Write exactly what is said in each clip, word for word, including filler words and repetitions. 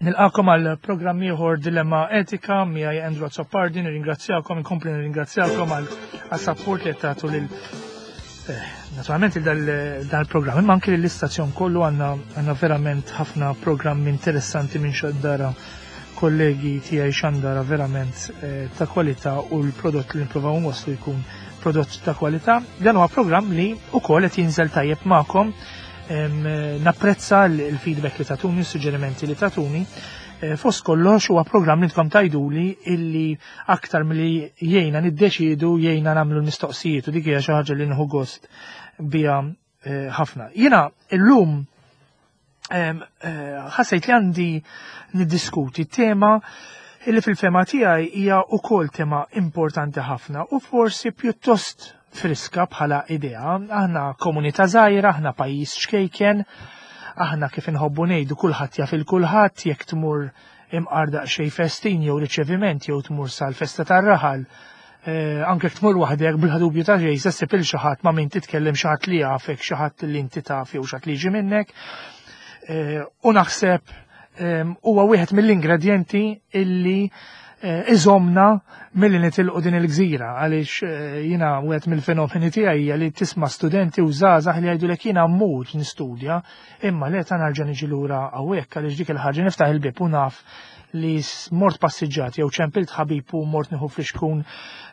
Nilqakom għal programm ieħor Dilemma Etika miegħi Andrew Azzopardi, nirringrazzjakom, inkompli nirringrazzjakom għal support li qed tagħtu lil eh, naturalment il dan il-programm, imma anke lill-istazzjon kollu. għandna għandna verament ħafna programmi interessanti minn xandara, kollegi tiegħi xandara verament eh, ta' kwalità, u l-prodott li nipprovaw nwasslu jkun prodott ta' kwalità. Dan huwa programm li wkoll qed jinżel tajjeb magħkom. Napprezza l-feedback li tatuni, s-suġġerimenti li tatuni. Eh, fost kollox huwa programm li tkom tgħiduli illi aktar milli jgħinna niddeċidu, jgħinna nagħmlu l-mistoqsijiet, u dik hija xi ħaġa li nieħu gost biha eh, ħafna. Jiena illum eh, ħassejt li għandi niddiskuti tema illi fil-fehma tiegħi hija wkoll tema importanti ħafna u forsi pjuttost friska bħala idea. Aħna komunità żgħira, aħna pajjiż ċkejken, aħna kif inħobbu ngħidu kulħadd jaf il-kulħadd. Jekk tmur imqar daqsxejn festin jew riċeviment jew tmur sal-festa tar-raħal, eh, anke tmur waħdek, bla dubju ta' xejn se ssib il xi ħadd ma' min titkellem, xi ħadd li jafek, xi ħadd li inti taf jew xi ħadd li jiġi minnek. Eh, u naħseb huwa wieħed mill-ingredjenti illi eh, iżomna milli nitilqu din il-gżira, għaliex eh, jiena wieħed mill-fenomeni tiegħi hija li tisma' studenti u żgħażagħ li jgħidulek, "Jiena mmur nistudja, imma le ta' nerġa' niġi lura hawnhekk, għaliex dik il-ħaġa niftaħ il-bib u naf li mort passiġġat jew ċempilt ħabib u mort nieħu flixkun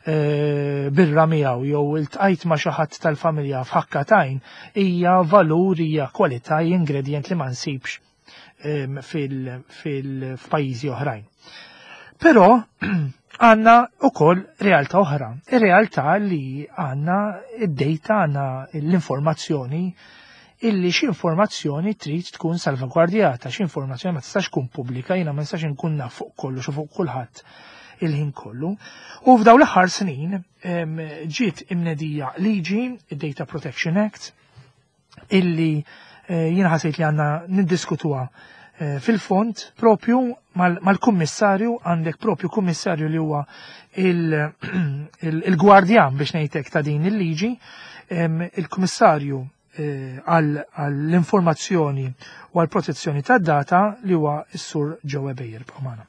eh, birra miegħu jew iltqajt ma' xi ħadd tal-familja f'ħakka t'għajn, hija valur, hija kwalità, ingredient li ma nsibx fil-pajjiżi oħrajn." Però għandna ukoll realtà oħra. Ir-realtà li għandna id-data, għandna l-informazzjoni, illi xi informazzjoni trid tkun salvagwardjata, xi informazzjoni ma tistax tkun pubblika, jiena ma nistax inkun naf fuq kollox u fuq kulħadd il-ħin kollu. U f'daw l-aħħar snin ġiet imnedija liġi, id-Data Protection Act, illi eh, jiena ħasejt li għandna niddiskutuha eh, fil-fond propju mal-kummissarju. Għandek propju kummissarju li huwa il-gwardjan, biex ngħidlek, ta' din il-liġi, il-kummissarju eh, għall-informazzjoni u għall-protezzjoni tad-data, li huwa s-Sur Joe Ebejer b'Omana.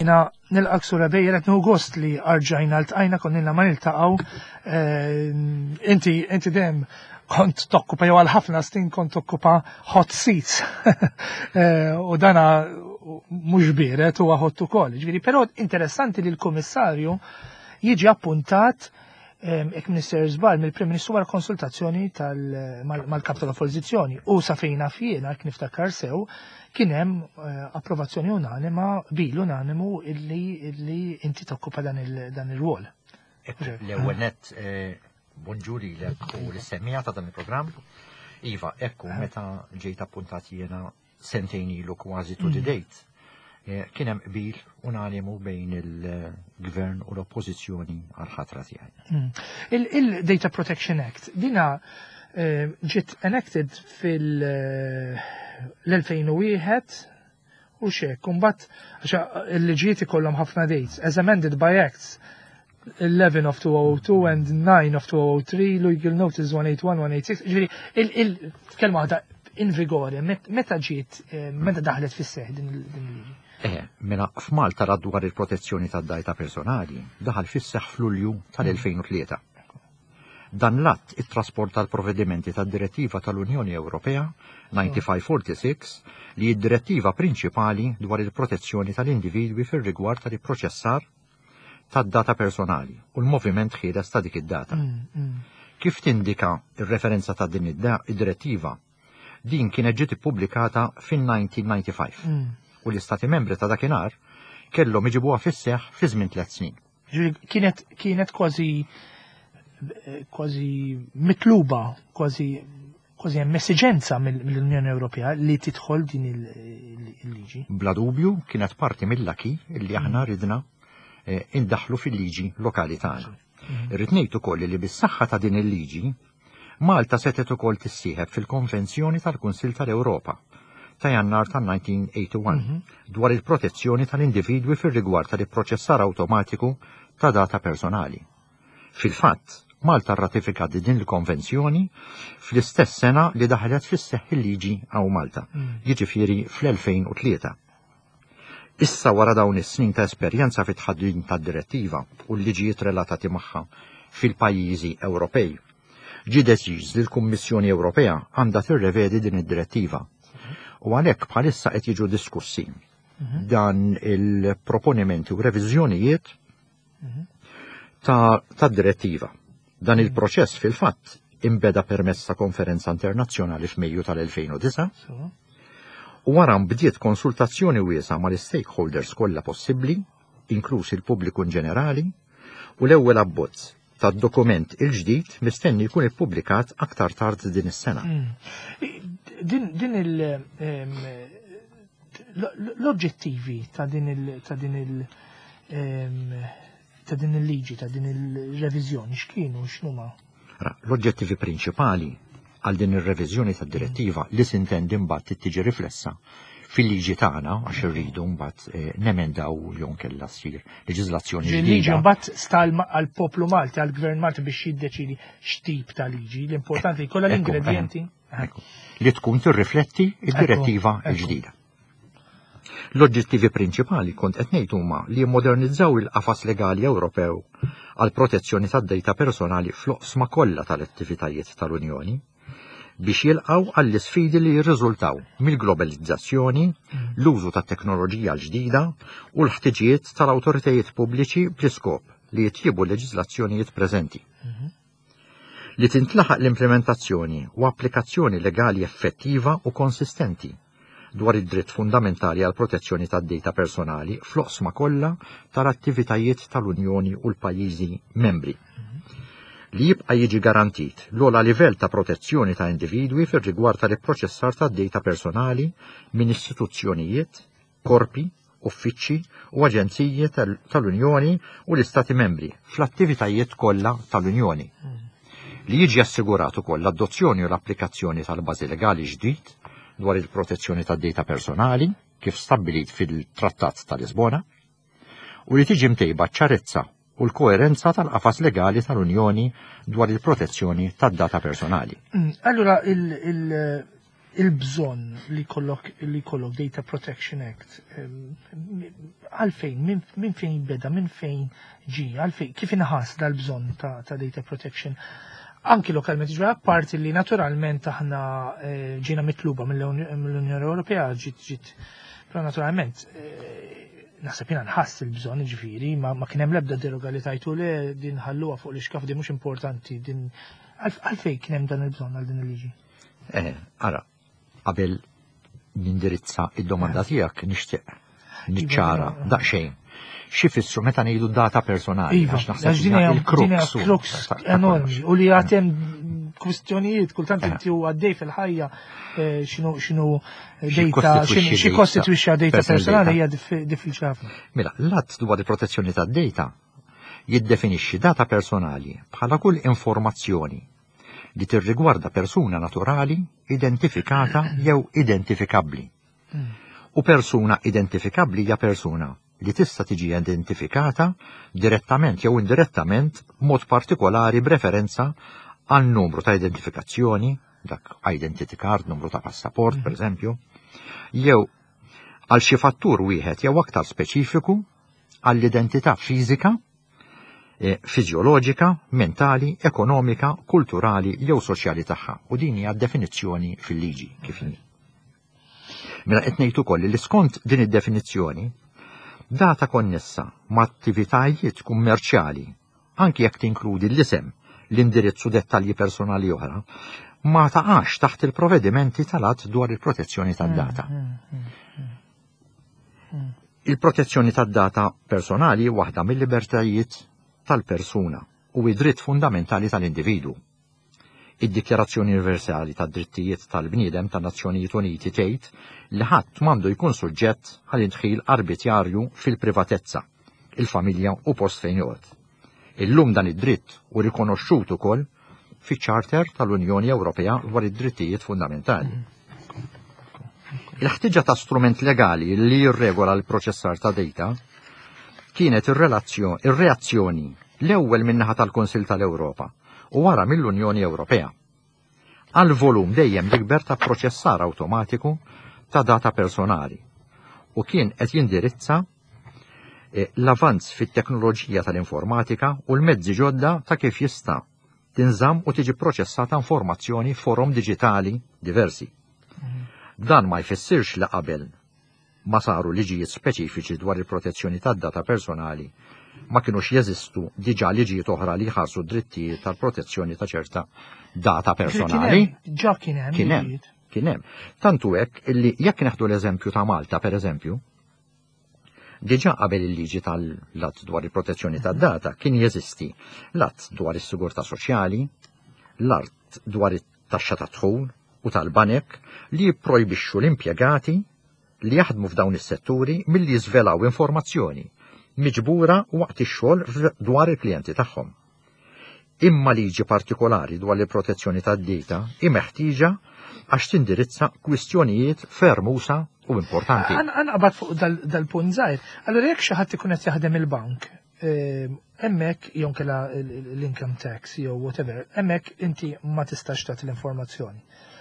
Jiena nilqgħek, Sur Ebejer, qed gost li erġajna ltqajna, konna ma niltaqgħu. Eh, inti inti dejjem kont tokkupa, jew għal ħafna snin kont tokkupa hot seats. Eh, u dana mhux biered, huwa hot ukoll. Ġifieri, però interessanti li l-Kummissarju jiġi appuntat, jekk Minister żball, mill-Prim Ministru wara konsultazzjoni mal-kap tal-Oppożizzjoni. U sa fejn naf jiena, jekk niftakar sew, kien hemm eh, approvazzjoni unanima, bil unanimu illi illi inti tokkupa dan il-rwol. L-ewwel nett, eh, bonġu lilek u lis-semmiegħa ta' dan il-programm. Iva, ekku, eh. meta ġejt appuntat jiena sentejn ilu kważi to the mm. date, kien hemm qbil unanimu bejn il-gvern u l-oppożizzjoni għal-ħatra tiegħi. Mm. Il-Data Protection Act, dina ġiet enacted fil-elfejn u wieħed u xek, kumbat, il-liġijiet ikollhom ħafna dates, as amended by Acts eleven of two thousand two and nine of two thousand three, Legal Notice one eighty-one, one eighty-six, ġifieri, il-kelma waħda, in vigore, meta ġiet, eh, meta daħlet fis-seħ din il-liġi? Eh, mela f'Malta l-Att dwar il-protezzjoni tad-data personali daħal fis-seħ f'Lulju tal-elfejn u tlieta. Dan l-att it-trasport tal-provvedimenti tad-Direttiva tal-Unjoni Ewropea tnejn u disgħin sitta u disgħin, li id-direttiva prinċipali dwar il-protezzjoni tal-individwi fir-rigward tal-proċessar tad-data personali u l-moviment ħieles ta' dik id-data. Mm, mm. Kif tindika ir-referenza ta' din id-direttiva, din kienet ġiet ippubblikata fin-elf disa' mija u disgħa u disgħin mm. u l-istati membri ta' dakinhar kellhom iġibuha fis-seħ fi żmien tliet snin. Kienet kienet kważi kważi mitluba, kważi kważi hemm esiġenza mill-Unjoni Ewropea li tidħol din il-liġi. il-liġi. Bla dubju kienet parti mill-acquis illi aħna ridna eh, indaħlu fil-liġi lokali tagħna. Irrid ngħid ukoll li bis-saħħa ta' din il-liġi Malta setet ukoll tissieħeb fil-Konvenzjoni tal-Kunsill tal-Ewropa ta' Jannar tal-elf disa' mija u wieħed u tmenin dwar il-protezzjoni tal-individwi fir-rigward tal-ipproċessar awtomatiku ta' data personali. Fil-fatt, Malta rratifikat din il-konvenzjoni fl-istess sena li daħlet fis-seħħ il-liġi hawn Malta, jiġifieri fl-elfejn u tlieta. Issa, wara dawn is-snin ta' esperjenza fit tħaddim tad-direttiva u l-liġijiet relatati magħha fil-pajjiżi Ewropej, ġi deċiż li l-Kummissjoni Ewropea għandha tirrevedi din id-direttiva. U għalhekk bħalissa qed jiġu diskussi dan il-proponimenti u reviżjonijiet ta', ta direttiva. Dan il-proċess fil-fatt imbeda permezz ta' konferenza internazzjonali f'Mejju tal-elfejn u disgħa So, u wara bdiet konsultazzjoni wiesgħa mal-stakeholders kollha possibbli, inkluż il-pubbliku in ġenerali, u l-ewwel abbozz tad-dokument il-ġdid mistenni jkun ippubblikat aktar tard din is-sena. Din, din il em, l- l-oġġettivi ta' din il ta' din il em, ta' din il-liġi, ta' din il-reviżjoni, x'kienu, x'numa? Ra, l-oġġettivi prinċipali għal din ir-reviżjoni tad-direttiva li sintendi mbagħad tiġi riflessa fil-liġi tagħna, għax irridu mbagħad eh, nemendaw jew nkella ssir leġiżlazzjoni Liġi ġdida. mbagħad sta għall-poplu Malti, għall-gvern Malti biex jiddeċidi x'tip ta' liġi, l-importanti jkollha Ekku, l-ingredienti. Ekku, li tkun tirrifletti id-direttiva Ekku, ekku. l-ġdida. L-oġġettivi prinċipali kont qed ngħid huma li jimmodernizzaw il-qafas legali Ewropew għal protezzjoni tad-dejta personali fl-oqsma kollha tal-attivitajiet tal-Unjoni biex jilqaw għall-isfidi li jirriżultaw mill-globalizzazzjoni, l-użu ta' teknoloġija l-ġdida u l-ħtiġijiet tal-awtoritajiet pubbliċi bl-iskop li jitjibu l-leġiżlazzjonijiet preżenti. Li tintlaħaq l-implementazzjoni u applikazzjoni legali effettiva u konsistenti dwar id-dritt fundamentali għal protezzjoni tad-data personali fl-oqsma kollha tal-attivitajiet tal-Unjoni u l-pajjiżi membri. Li jibqa' jiġi garantit l-ogħla livell ta' protezzjoni ta' individwi fir-rigward tal-ipproċessar tad-data personali minn istituzzjonijiet, korpi, uffiċċji u aġenziji tal- tal-Unjoni u l-Istati membri fl-attivitajiet kollha tal-Unjoni. Li jiġi assigurat ukoll l-adozzjoni u l-applikazzjoni tal-bażi legali ġdid dwar il-protezzjoni tad-data personali kif stabbilit fil-Trattat ta' Lisbona u li tiġi mtejba ċarezza u l-koerenza tal-qafas legali tal-Unjoni dwar il-protezzjoni tad-data personali. Mm, Allura il- il- il-bżonn li jkollok li jkollok Data Protection Act, em, għalfejn, minn min fejn beda, minn fejn ġi, għalfejn, kif inħass dal-bżonn ta', ta' data protection? Anki lokalment, ġifieri apparti li naturalment aħna eh, ġiena mitluba mill-Unjoni Ewropea, ġiet ġiet, però naturalment eh, naħseb jiena nħass il-bżonn, ġifieri, ma, ma kien hemm l-ebda deroga li tajtu le, din ħalluha fuq l-ixkaf, din mhux importanti, din għalf- għalfejn kien hemm dan il-bżonn għal din il-liġi? Eh, ara, qabel nindirizza id-domanda tiegħek nixtieq niċċara Iva, daqsxejn x'ifissru meta ngħidu data personali, Iva, għax naħseb għax din hija hija il-crux din hija crux ta- ta' enormi kollox. u li għatem kwistjonijiet kultant Eh. inti u għaddej fil-ħajja eh, x'inhu x'inhu Xi data kostitwixxi xi data kostitwixxa data personal personali data. hija diffi- diffiċli ħafna. Mela, l-att dwar il-protezzjoni tad-data jiddefinixxi data personali bħala kull informazzjoni li tirrigwarda persuna naturali identifikata jew identifikabbli. U persuna identifikabbli hija persuna li tista' tiġi identifikata direttament jew indirettament, mod partikolari b'referenza għal numru ta' identifikazzjoni, dak identity card, numru ta' passaport, per eżempju, jew għal xi fattur wieħed jew aktar speċifiku għall-identità fiżika, eh, fiżjoloġika, mentali, ekonomika, kulturali jew soċjali tagħha. U din hija definizzjoni fil-liġi kif inhi. Mela qed ngħid ukoll li skont din id-definizzjoni, data konnessa ma' attivitajiet kummerċjali, anki jekk tinkludi l-isem, l-indirizz u dettalji personali oħra, ma taqax taħt il-provvedimenti tal-att dwar il-protezzjoni tad-data. Il-protezzjoni tad-data personali hi waħda mill-libertajiet tal-persuna u id-dritt fundamentali tal-individu. Id-Dikjarazzjoni Universali tad-Drittijiet tal-Bniedem tan-Nazzjonijiet Uniti tgħid li ħadd m'għandu jkun suġġett għal indħil arbitjarju fil-privatezza, il-familja u post fejn joqgħod. Illum dan id-dritt hu rikonoxxut ukoll fiċ-Charter tal-Unjoni Ewropea dwar id-drittijiet fundamentali. Il-ħtiġa ta' strument legali li jirregola l-proċessar ta' data kienet ir-reazzjoni l-ewwel min-naħa tal-Kunsill tal-Ewropa u wara mill-Unjoni Ewropea għal volum dejjem jikber ta' proċessar awtomatiku ta' data personali u kien qed jindirizza eh, l-avanz fit-teknoloġija tal-informatika u l-mezzi ġodda ta' kif jista' tinżamm u tiġi proċessata informazzjoni forom diġitali diversi. Dan ma jfissirx li qabel ma saru liġijiet speċifiċi dwar il-protezzjoni tad-data personali ma kienux jeżistu diġà liġijiet oħra li jħarsu drittijiet tal-protezzjoni ta' ċerta data personali. Ġa kien hemm. Kien hemm, kien hemm. Tantu hekk illi jekk neħdu l-eżempju ta' Malta, per eżempju, diġà qabel il-liġi tal-att dwar il-protezzjoni tad-data kien jeżisti l-att dwar is-sigurtà soċjali, l-att dwar it-taxxa ta' dħul u tal-banek li jipprojbixxu l-impjegati li jaħdmu f'dawn is-setturi milli jiżvelaw informazzjoni miġbura waqt ix-xogħol dwar il-klijenti tagħhom. Imma liġi partikolari dwar il-protezzjoni tad-data hi meħtieġa għax tindirizza kwistjonijiet ferm usa' u importanti. Għan fuq dal-punt żgħir. Allura jekk xi ħadd ikun qed jaħdem il-bank, ehm, hemmhekk jew kella l-income tax jew whatever, hemmhekk inti ma tistax tagħti l-informazzjoni.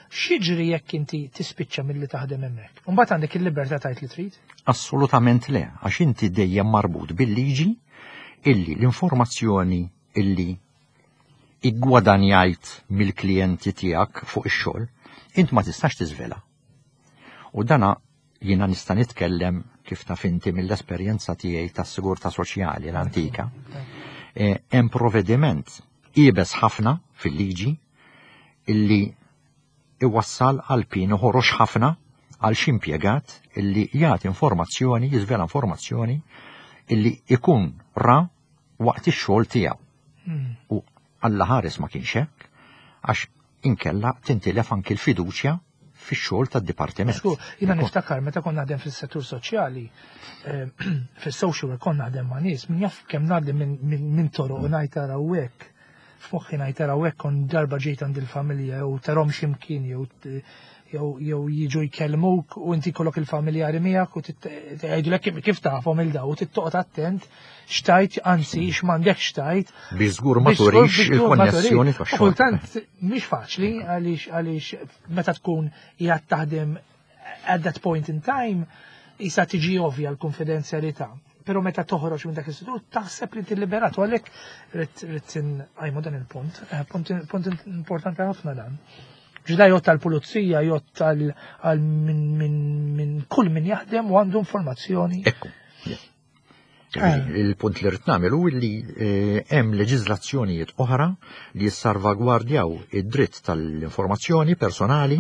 X'jiġri jekk inti tispiċċa milli taħdem hemmhekk? Imbagħad għandek il-libertà tgħid li trid? Assolutament le, għax inti dejjem marbut bil-liġi illi l-informazzjoni illi iggwadanjajt mill-klijenti tiegħek fuq ix-xogħol, int ma tistax tiżvela. U dana jiena nista' nitkellem kif taf inti mill-esperjenza tiegħi tas-sigurtà soċjali l-antika. E, hemm provvediment iebes ħafna fil-liġi illi iwassal għal pin ħorox ħafna għal xi impjegat illi jagħti informazzjoni, jiżvela informazzjoni illi ikun ra waqt ix-xogħol tiegħu. Hmm. U Alla ħares ma kienx hekk, għax inkella tintilef anki l-fiduċja fix-xogħol tad-dipartiment. Sku, jiena niftakar meta konna naħdem fis-settur soċjali, eh, fis-social work konna naħdem ma' nies, min jaf kemm ngħaddi minn toroq u ngħid taraw hekk. F'moħħi ngħid taraw hekk kon darba ġejt għand il-familja jew tarahom x'imkien jew jew jew jiġu jkellmuk u inti kollok il-familjari miegħek u tgħidulek kif tafhom il daw u tittoqgħod attent x'tgħid anzi x'm'għandekx x'tgħid. Biex żgur ma turix il-konnessjoni tax-xogħol. Kultant mhix faċli għaliex għaliex meta tkun qiegħed taħdem at that point in time isa tiġi ovvja l-konfidenzjalità. Pero meta toħroġ minn dak l-istitut taħseb li tilliberat u għalhekk rrid rrid inqajmu dan il-punt. Eh, punt punt importanti ħafna dan. Ġda jgħodd tal-pulizija, jgħodd għal minn kull min jaħdem u għandu informazzjoni. Ekku. Il-punt li rrid nagħmel hu li eh, hemm leġiżlazzjonijiet oħra li jissarvagwardjaw id-dritt tal-informazzjoni personali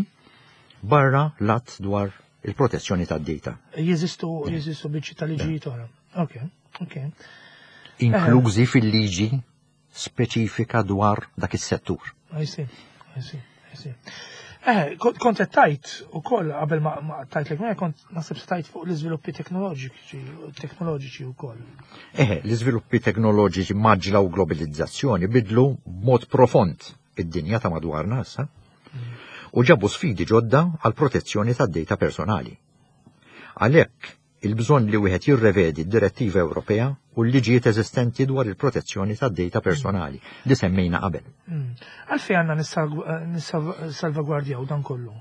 barra l-att dwar il-protezzjoni tad-data. Jeżistu jeżistu biċċi tal-liġijiet oħra. Ok, ok. Inklużi fil-liġi speċifika dwar dak is-settur. I see, I see, I see. Eh, kont qed tgħid ukoll qabel ma tgħidlek ma kont naħseb tgħid fuq l-iżviluppi teknoloġiċi teknoloġiċi wkoll. Eh, l-iżviluppi teknoloġiċi mgħaġġla u globalizzazzjoni bidlu b'mod profond id-dinja ta' madwarna issa u ġabu sfidi ġodda għal protezzjoni tad-data personali. Għalhekk il-bżonn li wieħed jirrevedi d-direttiva Ewropea u l-liġijiet eżistenti dwar il-protezzjoni tad-data personali li semmejna qabel. Mm. Għalfejn għandna nissalvagwardjaw dan kollu?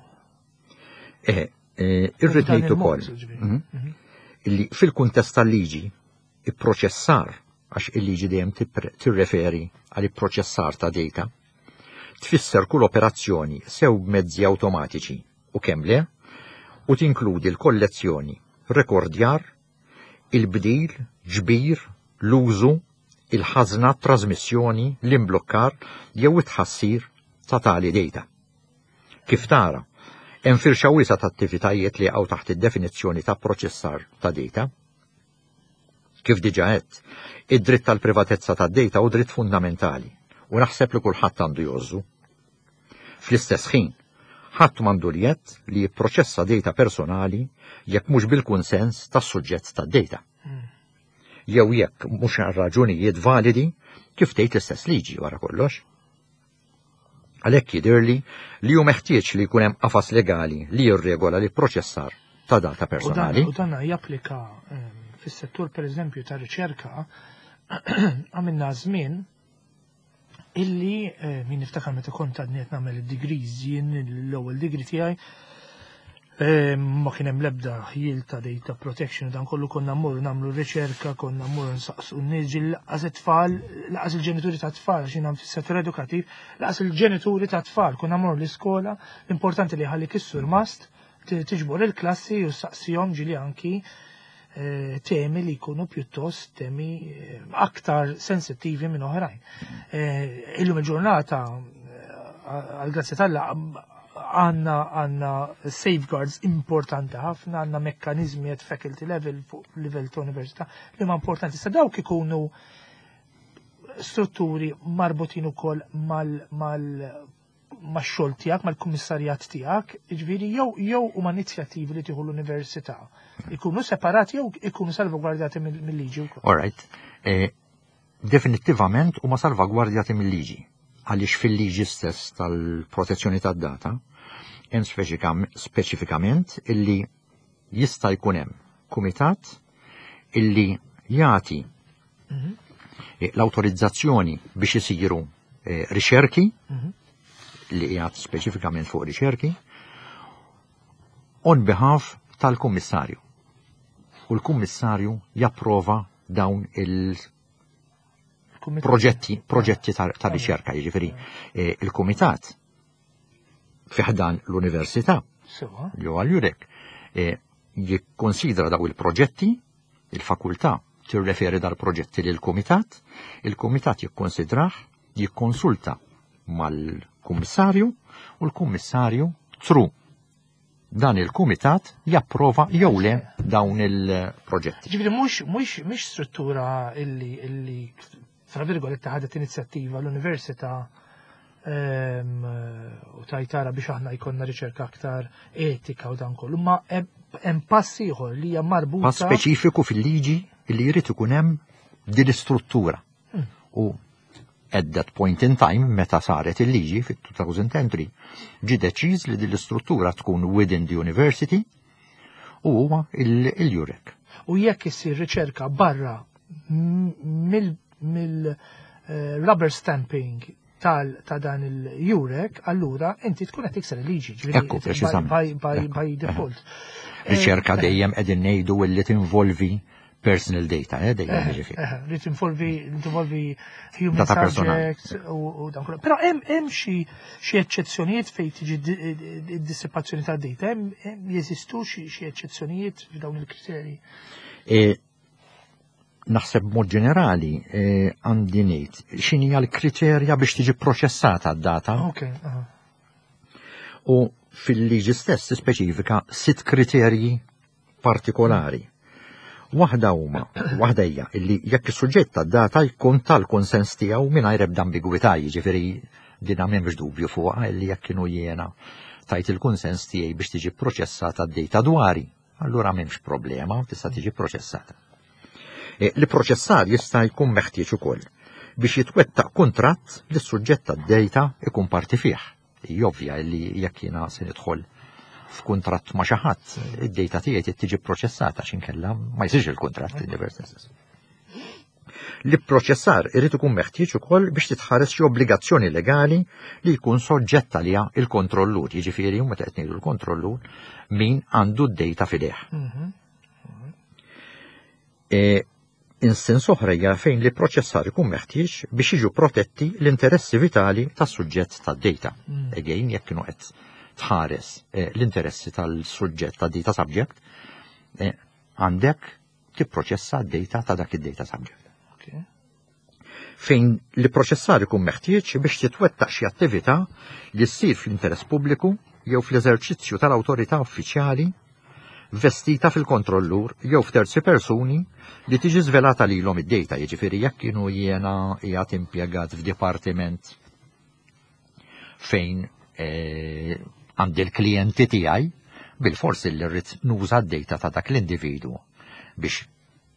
Eh, eh, irrid ngħid ukoll mhm, mhm. illi fil-kuntest tal-liġi ipproċessar għax il-liġi dejjem tirreferi għal ipproċessar ta' data tfisser kull operazzjoni sew b'mezzi awtomatiċi u kemm le u tinkludi l-kollezzjoni, rekordjar, il-bdil, ġbir, l-użu, il-ħażna, trasmissjoni, l-imblokkar jew it-tħassir ta' tali data. Kif tara, hemm firxa wiesgħa ta' attivitajiet li jaqgħu taħt id-definizzjoni ta' proċessar ta' data. Kif diġà għedt, id-dritt tal-privatezza ta' data hu dritt fundamentali u naħseb li kulħadd għandu jgħożżu. Fl-istess ħin, ħadd m'għandu l-jedd li jipproċessa data personali jekk mhux bil-kunsens tas-suġġett tad-data. Jew jekk mhux għal raġunijiet validi kif tgħid l-istess liġi wara kollox. Għalhekk jidhirli li hu meħtieġ li jkun hemm qafas legali li jirregola l-ipproċessar ta' data personali. U dan japplika ehm, fis-settur pereżempju ta' riċerka. Għamilna żmien illi eh, min niftakar meta kont għadni qed nagħmel id-degrees, jien l-ewwel degree tiegħi eh, ma kien hemm l-ebda ħjiel ta' data protection u dan kollu. Konna mmorru nagħmlu riċerka, konna mmorru nsaqsu n-nies, lanqas it-tfal, lanqas il-ġenituri ta' tfal, għax jien fis-settur edukattiv, lanqas il-ġenituri ta' tfal, konna mmorru l-iskola, l-importanti li ħalli is-surmast tiġbor il-klassi u saqsihom ġieli anki eh, temi li jkunu pjuttost temi eh, aktar sensittivi minn oħrajn. Eh, illum il-ġurnata, għal-grazzja t'Alla, għandna għandna safeguards importanti ħafna, għandna mekkanizmi at faculty level, fuq livell ta' università li ma importanti. Sa dawk ikunu strutturi marbutin ukoll mal mal max-xogħol tiegħek, mal-kummissarjat tiegħek, jiġifieri jew jew huma inizjattivi li tieħu l-università. Ikunu separati jew ikunu salvagwardjati mill-liġi wkoll. All right. Eh, definittivament huma salvagwardjati mill-liġi. Għaliex fil-liġi stess tal-protezzjoni tad-data hemm speċifikament illi jista' jkun hemm kumitat illi jagħti mhm. l-awtorizzazzjoni biex isiru eh, riċerki mhm. li qiegħed speċifikament fuq riċerki on behalf tal-kummissarju. U l-kummissarju japprova dawn il- proġetti proġetti ta' riċerka, jiġifieri eh, il-kumitat fi ħdan l-università li huwa l-EUREC eh, jikkonsidra daw il-proġetti, il-fakultà tirreferi dal-proġetti lil kumitat, il-kumitat jikkonsidrah, jikkonsulta mal-kummissarju u l-kummissarju through dan il-kumitat japprova jew le dawn il-proġetti. Ġifieri mhux mhux mhix struttura illi illi tra virgolette ħadet inizjattiva l-università ehm, u tajtara biex aħna jkollna riċerka aktar etika u dan kollu, ma hemm pass ieħor li hija marbuta. Pass speċifiku fil-liġi li jrid ikun hemm din l-istruttura. Hmm. U at that point in time, meta saret il-liġi fit-elfejn u tlieta, ġi deċiż li din l-istruttura tkun within the university u huwa il-EUREC. U jekk issir riċerka barra mill mill eh, rubber stamping tal ta' dan il-EUREC, allura inti tkun qed tikser il-liġi, Ekku, preċiżament. by, by, by default. Riċerka dejjem qegħdin ngħidu li tinvolvi personal data, eh, dejjem jiġifieri. Eh, li tinvolvi li tinvolvi human Data personali. subjects u, u dan kollu. Però hemm hemm xi xi eċċezzjonijiet fejn tiġi di- id-dissipazzjoni ta' data, hemm hemm jeżistu xi xi eċċezzjonijiet f'dawn il-kriterji? E, naħseb mod ġenerali e, għandi ngħid x'inhi l-kriterja biex tiġi proċessata d-data Ok, aha. u fil-liġi stess tispeċifika sitt kriterji partikolari. Waħda huma, waħda hija illi jekk is-suġġett tad-data jkun tal-konsens tiegħu mingħajr ebda ambigwità, jiġifieri din m'hemmx dubju fuqha illi jekk kienu jiena tajt il-konsens tiegħi biex tiġi proċessata d-data dwari, allura m'hemmx problema, tista' tiġi proċessata. E, L-proċessar jista' jkun meħtieġ ukoll biex jitwettaq kuntratt li s-suġġett tad-data ikun parti fih. Ovvja li jekk jiena se nidħol f'kuntratt ma' xi ħadd, id-data tiegħi trid tiġi proċessata x'inkella ma jsirx il-kuntratt in the first instance. L-proċessar irid ikun meħtieġ ukoll biex titħares xi obbligazzjoni legali li jkun soġġett għaliha il-kontrollur, jiġifieri meta qed ngħidu l-kontrollur min għandu d-data f'idejh. Mhm. E, Instance oħra hija fejn li proċessar ikun meħtieġ biex jiġu protetti l-interessi vitali tas-suġġett tad-data. Mm. Again, jekk kienu qed tħares eh, l-interessi tal-suġġett tad-data subject, eh, għandek tipproċessa d-data ta' dak id-data subject. Ok. Fejn li proċessar ikun meħtieġ biex titwettaq xi attività li ssir fl-interess pubbliku jew fl-eżerċizzju tal-awtorità uffiċjali vestita fil-kontrollur jew f'terzi persuni li tiġi żvelata lilhom id-data, jiġifieri jekk kienu jiena qiegħed impjegat f'dipartiment fejn eh, għandi l-klijenti tiegħi, bil-fors li rrid nuża d-data ta' dak l-individu biex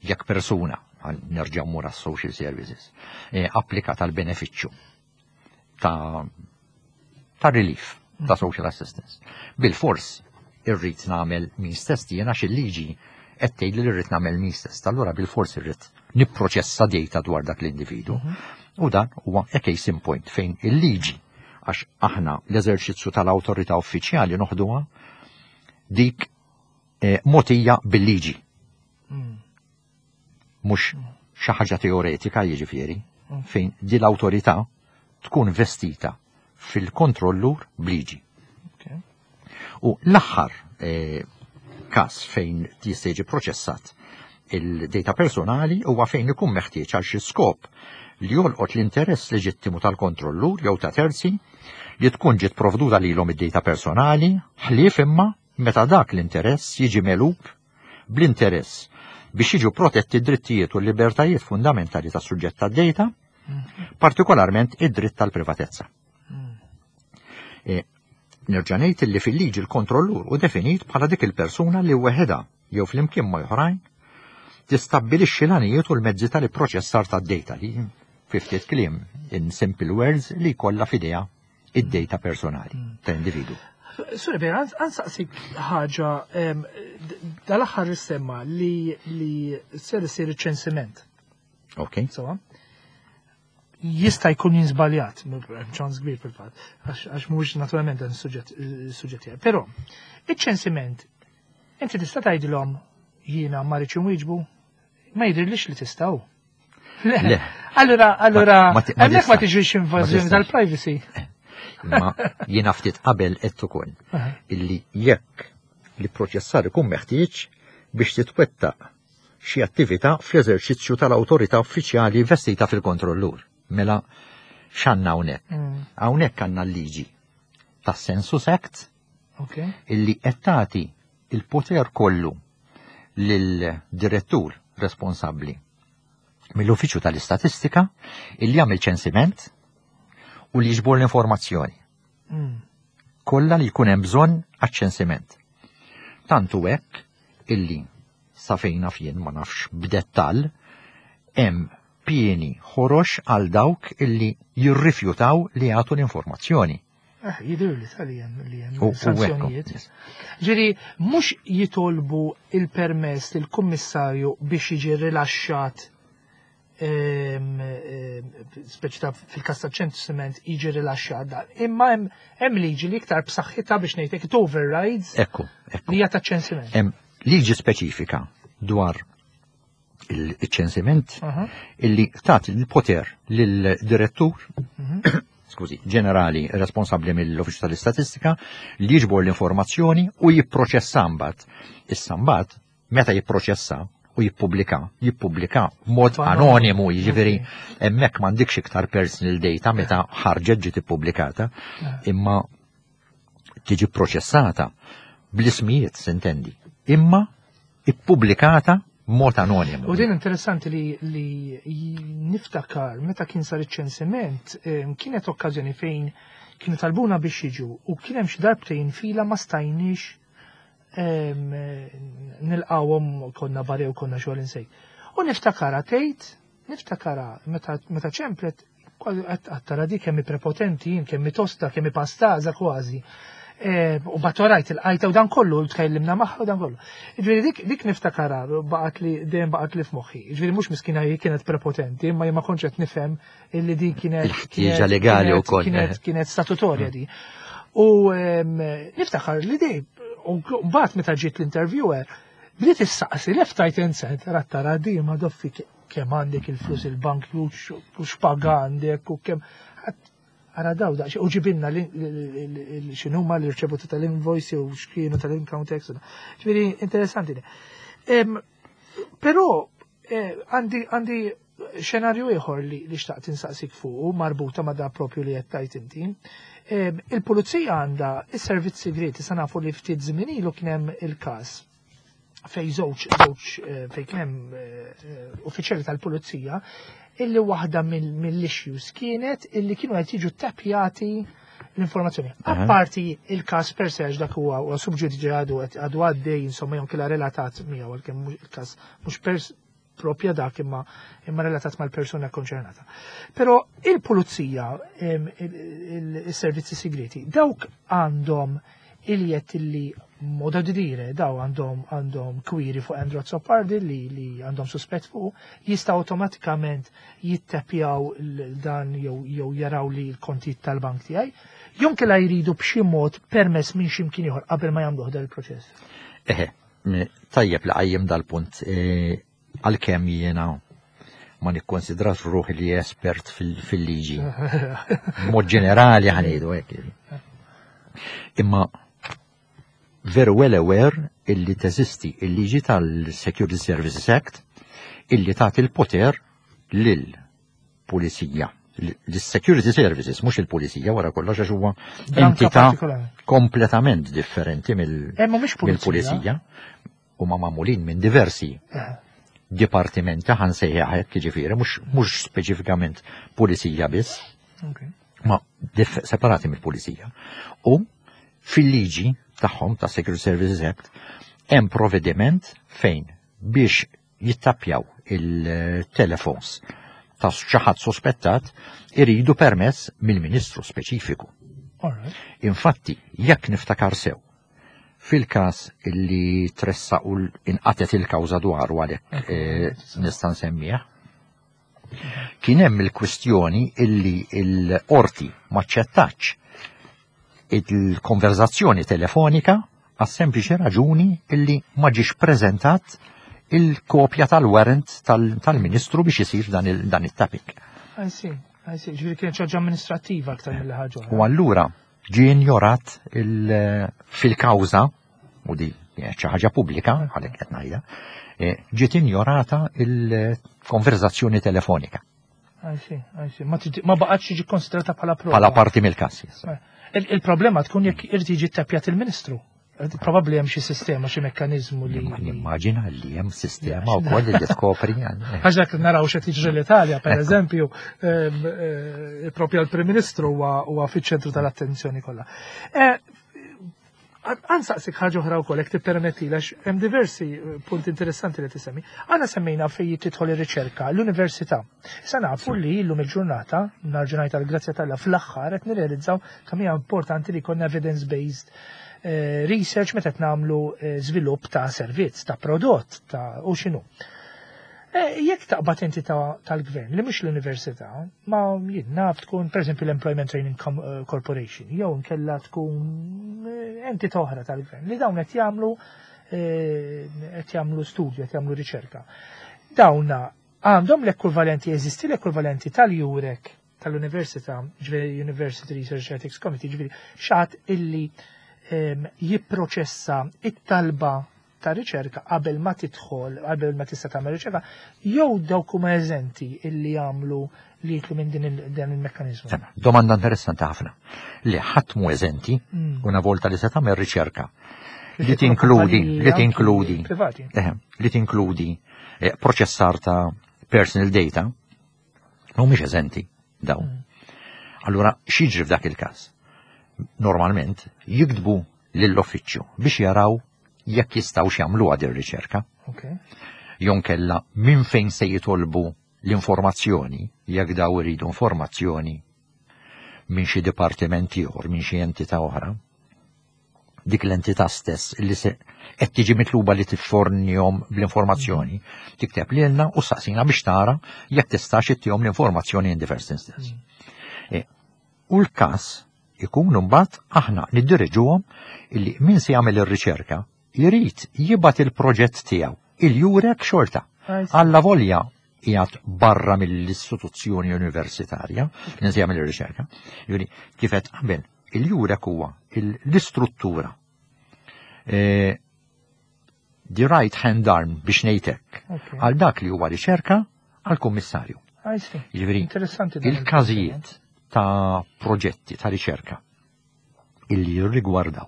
jekk persuna, nerġa' mmur social services, eh, applika tal-benefiċċju ta' ta' relief, ta' social assistance. Bil-fors irrid nagħmel means test jiena, il-liġi qed tgħid li rrid nagħmel means test. Allura bil-fors irrid nipproċessa data dwar dak l-individu. U dan huwa a case in point fejn il-liġi, għax aħna l-eżerċizzju tal-awtorità uffiċjali noħduha dik eh, mogħtija bil-liġi. Mhux xi ħaġa teoretika, jiġifieri, fejn di l-awtorità tkun vestita fil-kontrollur b'liġi. U l-aħħar eh, każ fejn jista' jiġi proċessat il-data personali huwa fejn ikun meħtieġ għal xi skop li jolqot l-interess leġittimu tal-kontrollur jew ta' terzi li tkun ġiet provduta lilhom id-data personali, ħlief imma meta dak l-interess jiġi megħlub bl-interess biex jiġu protetti d-drittijiet u l-libertajiet fundamentali tas suġġett tad-data, partikolarment id-dritt tal-privatezza. E, Nerġa' ngħid li fil-liġi l-kontrollur hu definit bħala dik il-persuna li weħeda jew flimkien ma' oħrajn tistabbilixxi l-għanijiet u l-mezzi tal-ipproċessar tad-data li, fi ftit kliem, in simple words, li kollha f'idejha id-data personali ta' individu. Sorry, Ben, ħa nsaqsik ħaġa, em, d- dal-aħħar issemma li li ser isir ċensiment. Ok? So, jista' jkun jien żbaljat, ċans kbir fil-fatt, għax għax mhuwiex naturalment dan is-suġġett is-suġġett tiegħi. Però iċ-ċensiment inti tista' tgħidilhom jiena ma rridx inwieġbu, ma jidhirlix li tistgħu. Le. Le. Allura, allura, Ma- ma ti- ma hemmhekk ma tistax. tiġix invażjoni Ma tistax. tal-privacy. Imma jiena ftit qabel qed ukoll Aha. illi jekk li proċessar ikun meħtieġ biex titwettaq xi attività fl-eżerċizzju tal-awtorità uffiċjali vestita fil-kontrollur. Mela x'għandna hawnhekk? Mm, Hawnhekk għandna l-liġi tas-Census Act Ok. illi qed tagħti il-poter kollu lil-direttur responsabbli mill-Uffiċċju tal-Istatistika illi jagħmel ċensiment u li jiġbor l-informazzjoni Mm, kollha li jkun hemm bżonn għaċ-ċensiment. Tantu hekk illi sa fejn naf jien, ma nafx b'dettall, hemm pieni ħorox għal dawk illi jirrifjutaw li jagħtu l-informazzjoni. Eh, jidher li tal hemm li hemm U- u sanzjonijiet. ekku, yes. Ġifieri, mhux jitolbu il-permess lill-kummissarju biex jiġi rilaxxat, ehm, ehm, speċi ta' fil-kas ta' ċensiment jiġi rilaxxat dan. Imma hemm hemm liġi li iktar b'saħħitha, biex ngħidlek, it overrides Ekku, ekku. li hija ta' ċensiment. Hemm liġi speċifika dwar il-ċensiment Aha. illi tagħti il-poter lill-direttur, Mhm. skużi, ġenerali responsabbli mill-Uffiċċju tal-Istatistika li jiġbor l-informazzjoni u jipproċessa mbagħad. Issa mbagħad meta jipproċessa u jippubblika, jippubblika mod Anonimu. anonimu, jiġifieri Ok. hemmhekk m'għandikx iktar personal data meta ħarġet, ġiet ippubblikata, imma tiġi proċessata bl-ismijiet, s'intendi, imma ippubblikata mod anonimu. U din interessanti li, li niftakar meta kien sar iċ-ċensiment, em, kienet okkażjoni fejn kienu talbuna biex jiġu u kien hemm xi darbtejn fila ma stajniex em, nilqawhom, konna barra u konna xogħol insejt. U niftakara tgħid, niftakara meta meta ċemplet kważi qed tara di kemm hi prepotenti jien, kemm hi tosta, kemm hi pastaża kważi. E, U batorajt il-qajta u dan kollu, tkellimna magħha u dan kollu. Ġifieri dik, dik niftakara, baqgħet li dejjem baqgħet li f'moħħi. Ġifieri mhux miskina hi kienet prepotenti, imma jien ma kontx qed nifhem illi din kienet Il-ħtieġa kienet- legali kienet- wkoll, Kienet eh. kienet statutorja di. U em, niftakar li dej, u mbagħad meta ġiet l-interviewer, bdiet issaqsi left, right and center, għat tara di ma doffi ke- kemm għandek il-flus il-bank u x- u x'paga għandek u kemm Ara daw daqs, u ġibinna x'inhuma l-irċevuti tal-invoice u x'kienu tal-income tax. Ġifieri interessanti. Em, Però eh, għandi għandi xenarju ieħor li li xtaqt insaqsik fuq marbuta ma' da propju li qed tgħid inti. Em, Il-pulizija għandha is-servizz segreti. Sa nafu li ftit żmien ilu kien hemm il-każ fej żewġ żewġ eh, fej kien hemm eh, eh, uffiċjali tal-pulizija illi waħda mill-issues kienet illi kienu qed jiġu tappjati l-informazzjoni. Apparti il-każ per se, dak huwa huwa sub judice, għadu għadu għaddej, insomma, jew kella relatat miegħu, għalkemm il-każ mhux pers propja dak, imma imma relatat mal-persuna konċernata. Però il-pulizija, il-servizzi segreti, dawk għandhom il-jett li modo di dire, daw għandhom għandhom query fuq Andrew Azzopardi li, li għandhom suspett fuq, jista' awtomatikament jittepjaw dan jew jew jaraw li l-kontijiet tal-bank tiegħi. Jew inkella jridu b'xi mod permess minn xi mkien ieħor qabel ma jagħmluh dan il-proċess? Eħe, tajjeb li qajjem dal-punt, e, għalkemm jiena ma nikkonsidrax ruħi li espert fil-liġi. Mod ġenerali ħa ngħidu hekk. Imma very well aware illi teżisti il-liġi tal-Security Services Act illi tagħti il-poter lil pulizija, l-Security Services, mhux il-pulizija wara kollox, għax huwa entità kompletament differenti eh, mill-pulizija, huma magħmulin minn diversi eh. dipartimenti, ħa nsejjaħ hekk, jiġifieri mhux speċifikament pulizija biss, ma separati mill-pulizija. U fil-liġi tagħhom ta' Security Services Act hemm provvediment fejn biex jittapjaw il-telefons ta' xi ħadd sospettat iridu permess mill-ministru speċifiku. Infatti, jekk niftakar sew, fil-każ illi tressa u inqatet il-kawża dwaru, għalhekk eh, nista' nsemmih, kien hemm il-kwistjoni illi l-qorti maċċettax il-konverzazzjoni telefonika għas sempliċi raġuni illi ma ġiex preżentat il-kopja tal-warrant tal-ministru biex isir dan it-tapping. I see, I see, ġifieri kienet ħaġa amministrativa aktar mill ħaġa. U allura ġie injorat fil-kawża, u di xi ħaġa pubblika, għalhekk qed ngħidha, e, ġiet injorata il-konverzazzjoni telefonika. I see, I see. Ma baqgħetx jiġi konsidrata bħala prova. Bħala parti mill-każ. Eh, il-problema tkun jekk irid jiġi ttapjat il-ministru. Probabbli hemm xi sistema, xi mekkaniżmu li. Nimmaġina li hemm sistema wkoll li tkopri. Għax dak naraw x'qed jiġri l-Italja, per eżempju, eh, propju l-Prim Ministru huwa fiċ-ċentru tal-attenzjoni kollha. Eh, Ħa nsaqsik ħaġa oħra wkoll, jekk tippermetti, għax hemm diversi eh, punti interessanti li tisemmi. Għana semmejna fejn tidħol ir-riċerka, l-università. Issa nafu li llum il-ġurnata, narġunajt għal-grazzja t'Alla, fl-aħħar qed nirrealizzaw kemm hija importanti li jkollna evidence-based eh, research meta qed nagħmlu eh, żvilupp ta' servizz, ta' prodott, ta' u x'inhu. Jekk taqbad entità tal-gvern li mhux l-università, ma jien naf tkun pereżempju l-Employment Training Corporation, jew nkella tkun entità oħra tal-gvern li dawn qed jagħmlu qed jagħmlu studju, qed jagħmlu riċerka. Dawna għandhom l-ekwivalenti, jeżisti l-ekwivalenti tal-EUREC tal-Università, ġifieri University Research Ethics Committee, ġifieri xi ħadd illi jipproċessa it-talba ta' riċerka qabel ma tidħol, qabel ma tista' tagħmel riċerka, jew dawk huma eżenti illi jagħmlu li jitlu minn din dan il-mekkaniżmu? Domanda interessanti ħafna. Li ħadd mu eżenti mm. una volta li se tagħmel riċerka li tinkludi, li tinkludi, eh, li tinkludi eh, proċessar ta' personal data, mhumiex eżenti dawn. Mm. Allura, x'jiġri f'dak il-każ? Normalment jiktbu lill-uffiċċju biex jaraw jekk jistgħu jagħmlu għad ir-riċerka. Jew inkella minn fejn se jitolbu l-informazzjoni, jekk daw iridu informazzjoni minn xi dipartiment ieħor, minn xi entità oħra. Dik l-entità stess li se qed tiġi mitluba li tiffornihom bl-informazzjoni, tikteb lilna u saqsina biex tara jekk tistax ittihom l-informazzjoni in the first instance. Mm. E, u l-każ ikun mbagħad aħna niddiriġuhom illi min se jagħmel ir-riċerka jrid jibgħat il-proġett tiegħu il-EUREC xorta. Alla volja qiegħed barra mill-istituzzjoni universitarja, min se jagħmel ir-riċerka. Jiġifieri kif qed qabel, il-EUREC huwa l-istruttura, e, the right hand arm, biex ngħidlek, għal dak li huwa riċerka għal kummissarju. Jiġifieri il-każijiet ta' proġetti ta' riċerka illi jirrigwardaw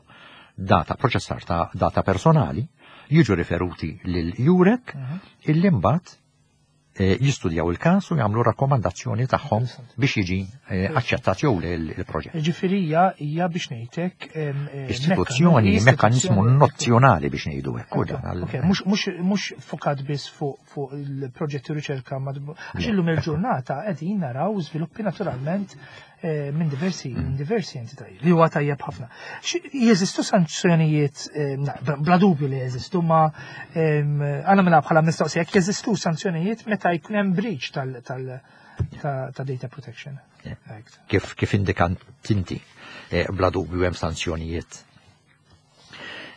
data, proċessar ta' data personali, jiġu riferuti lil EUREC, uh mhm. -huh. illi mbagħad eh, jistudjaw il-każ u jagħmlu rakkomandazzjoni tagħhom biex jiġi eh, aċċettat jew le il-proġett. Ġifieri hija hija biex ngħidlek em, eh, Istituzzjoni, mekka- mekkaniżmu istituzzjoni- nozzjonali biex ngħidu hekk. u dan għal- Ok, mhux mhux mhux fokat biss fuq fuq il-proġetti u riċerka mad- għax illum il-ġurnata qegħdin naraw żviluppi naturalment eh, minn diversi minn diversi entitajiet li huwa tajjeb ħafna. Xi- Jeżistu sanzjonijiet, eh, na, bla dubju li jeżistu, ma em, għana mela bħala mistoqsija, jekk jeżistu sanzjonijiet meta jkun hemm breach tal tal ta' ta' data protection. Act. kif kif indikant inti, eh, bla dubju hemm sanzjonijiet.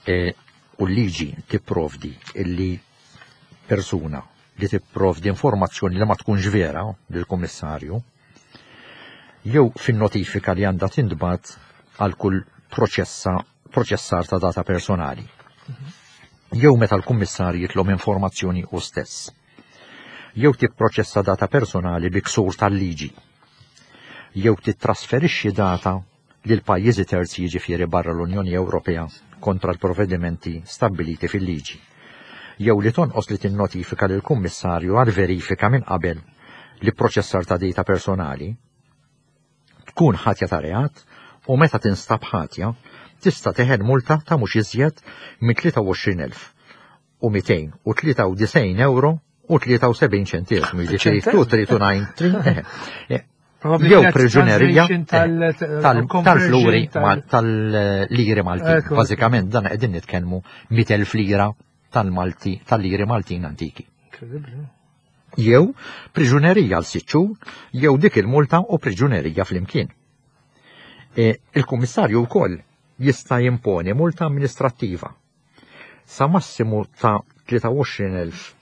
Eh, U l-liġi tipprovdi illi persuna li tipprovdi informazzjoni li ma tkunx vera lill-kummissarju jew fin-notifika li għandha tintbagħat għal kull proċessa proċessar ta' data personali. Jew meta l-kummissarju jitlob informazzjoni u stess. Jew tipproċessa data personali bi ksur tal-liġi jew titrasferixxi data lil pajjiżi terzi, jiġifieri barra l-Unjoni Ewropea, kontra l-provvedimenti stabbiliti fil-liġi. Jew li tonqos li tinnotifika lil kummissarju għal verifika minn qabel li proċessar ta' data personali tkun ħatja ta' reat u meta tinstab ħatja tista' teħel multa ta' mhux iżjed minn tlieta u għoxrin elf u mitejn u tlieta u disgħin euro u tlieta u sebgħin ċentesmu, jiġifieri tnejn tlieta tnejn tlieta, eh, Probabbli jew kienet priġunerija translation tal- eh, tal- conversion tal-fluri tal- ma- tal-liri Maltin. Ekku. Bażikament dan qegħdin nitkellmu mitt elf lira tal-Malti, tal-liri Maltin antiki. Incredible. Jew priġunerija għal sitt xhur, jew dik il-multa u priġunerija flimkien. E, Il-Kummissarju wkoll jista' jimponi multa amministrattiva sa massimu ta' tlieta u għoxrin elf